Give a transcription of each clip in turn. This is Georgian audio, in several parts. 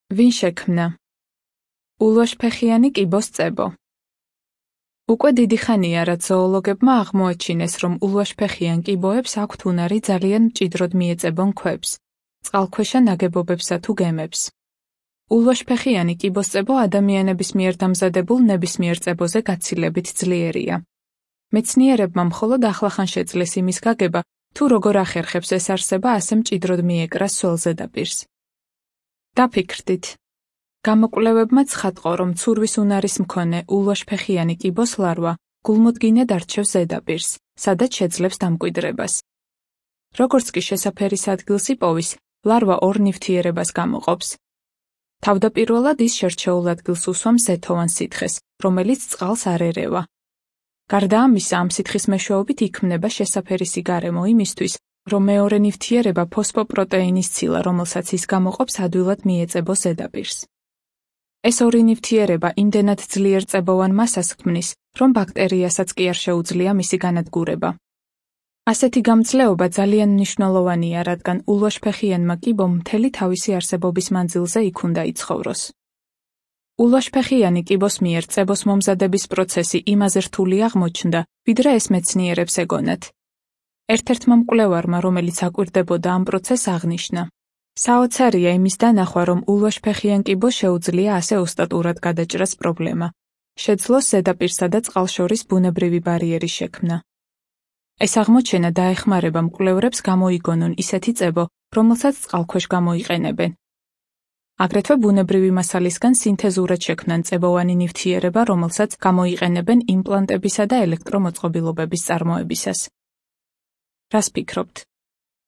ვინ შექმნა? ულვაშფეხიანი კიბოს წებო. უკვე დიდი ხანია, რაც ზოოლოგებმა აღმოაჩინეს, რომ ულვაშფეხიან კიბოებს აქვთ უნარი ძალიან მჭიდროდ მიეწებონ ქვებს, წყალქვეშა ნაგებობებსა თუ გემებს. ულვაშფეხიანი კიბოსწებო ადამიანების მიერ დამზადებულ ნებისმიერ წებოზე გაცილებით ძლიერია. მეცნიერებმა მხოლოდ ახლახან შეძლეს იმის გაგება, თუ როგორ ახერხებს ეს არსება ასე მჭიდროდ მიეკრას სულ ზედაპირს. დაფიქრდით. გამოკვლევებმა ცხადყო, რომ ცურვის უნარის მქონე ულვაშფეხიანი კიბოს ლარვა გულმოდგინედ არჩევს ზედაპირს, სადაც შეძლებს დამკვიდრებას. როგორც კი შესაფერის ადგილს იპოვის, ლარვა ორ ნივთიერებას გამოყოფს. თავდაპირველად ის შერჩეულ ადგილს უსვამს ზეთოვან სითხეს, რომელიც წყალს არ ერევა. გარდა ამისა, ამ სითხის მეშვეობით იქმნება შესაფერისი გარემო იმისთვის, რომ მეორე ნივთიერება ფოსფოპროტეინის ცილა, რომელსაც ის გამოყოფს, ადვილად მიეწებოს ზედაპირს. ეს ორი ნივთიერება იმდენად ძლიერ წებოვან მასას ქმნის, რომ ბაქტერიასაც კი არ შეუძლია მისი განადგურება. ასეთი გამძლეობა ძალიან მნიშვნელოვანია, რადგან ულვაშფეხიანმა კიბომ მთელი თავისი არსებობის მანძილზე იქ უნდა იცხოვროს. ულვაშფეხიანი კიბოს მიერ წებოს მომზადების პროცესი იმაზე რთული აღმოჩნდა, ვიდრე ეს მეცნიერებს ეგონათ. ერთ-ერთმა მკვლევარმა, რომელიც აკვირდებოდა ამ პროცესს, აღნიშნა: საოცარია იმის დანახვა, რომ ულვაშფეხიან კიბოს შეუძლია ასე ოსტატურად გადაჭრას პრობლემა. შეძლოს ზედაპირსა და წყალს შორის ბუნებრივი ბარიერის შექმნა. ეს აღმოჩენა დაეხმარება მკვლევრებს გამოიგონონ ისეთი წებო, რომელსაც წყალქვეშ გამოიყენებენ. აგრეთვე ბუნებრივი მასალისგან სინთეზურად შექმნან წებოვანი ნივთიერება, რომელსაც გამოიყენებენ იმპლანტებისა და ელექტრომოწყობილობების წარმოებისას. რას ფიქრობთ?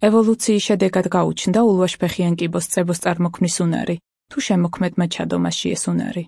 ევოლუციის შედეგად გაუჩნდა ულვაშფეხიან კიბოს წებოს წარმოქმნის უნარი, თუ შემოქმედმა ჩადო მასში ეს უნარი?